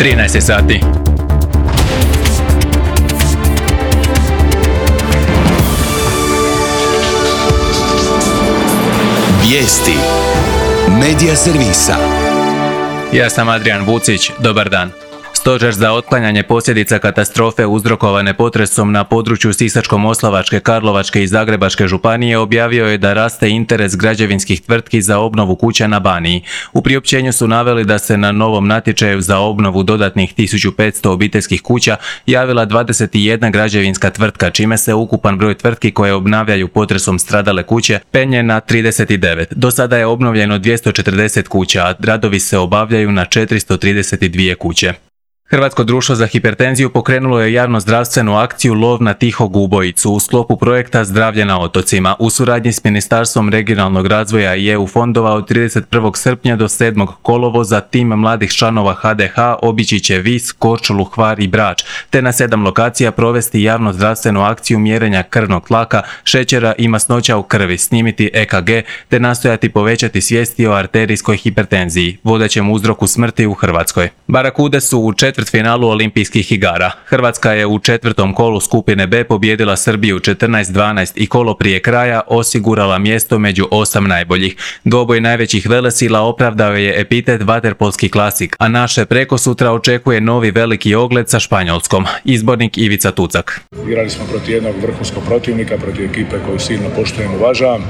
13 sati. Vijesti Medija servisa. Ja sam Adrian Vucić, dobar dan. Stožer za otklanjanje posljedica katastrofe uzrokovane potresom na području Sisačko-moslavačke, Karlovačke i Zagrebačke županije objavio je da raste interes građevinskih tvrtki za obnovu kuća na Baniji. U priopćenju su naveli da se na novom natječaju za obnovu dodatnih 1500 obiteljskih kuća javila 21 građevinska tvrtka, čime se ukupan broj tvrtki koje obnavljaju potresom stradale kuće penje na 39. Do sada je obnovljeno 240 kuća, a radovi se obavljaju na 432 kuće. Hrvatsko društvo za hipertenziju pokrenulo je javno-zdravstvenu akciju Lov na tihog ubojicu u sklopu projekta Zdravlje na otocima u suradnji s Ministarstvom regionalnog razvoja i EU fondova od 31. srpnja do 7. kolovoza tim mladih članova HDH obići će Vis, Korčulu, Hvar i Brač, te na 7 lokacija provesti javno-zdravstvenu akciju mjerenja krvnog tlaka, šećera i masnoća u krvi, snimiti EKG, te nastojati povećati svijesti o arterijskoj hipertenziji, vodećem uzroku smrti u Hrvatskoj. Barakude su u četvrtfinalu Olimpijskih igara. Hrvatska je u četvrtom kolu skupine B pobijedila Srbiju 14-12 i kolo prije kraja osigurala mjesto među 8 najboljih. Dvoboj najvećih velesila opravdao je epitet vaterpolski klasik, a naše prekosutra očekuje novi veliki ogled sa Španjolskom. Izbornik Ivica Tucak. Igrali smo protiv jednog vrhunskog protivnika, protiv ekipe koju silno poštujem i uvažavam.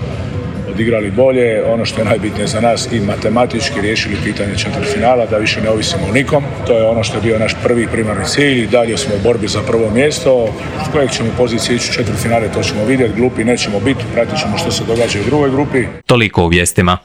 Odigrali bolje, ono što je najbitnije za nas i matematički riješili pitanje četvrtfinala, da više ne ovisimo o nikom. To je ono što je bio naš primarni cilj i dalje smo u borbi za prvo mjesto. S kojeg ćemo pozicije ići u četvrtfinale, to ćemo vidjeti, glupi nećemo biti, pratit ćemo što se događa u drugoj grupi. Toliko u vijestima.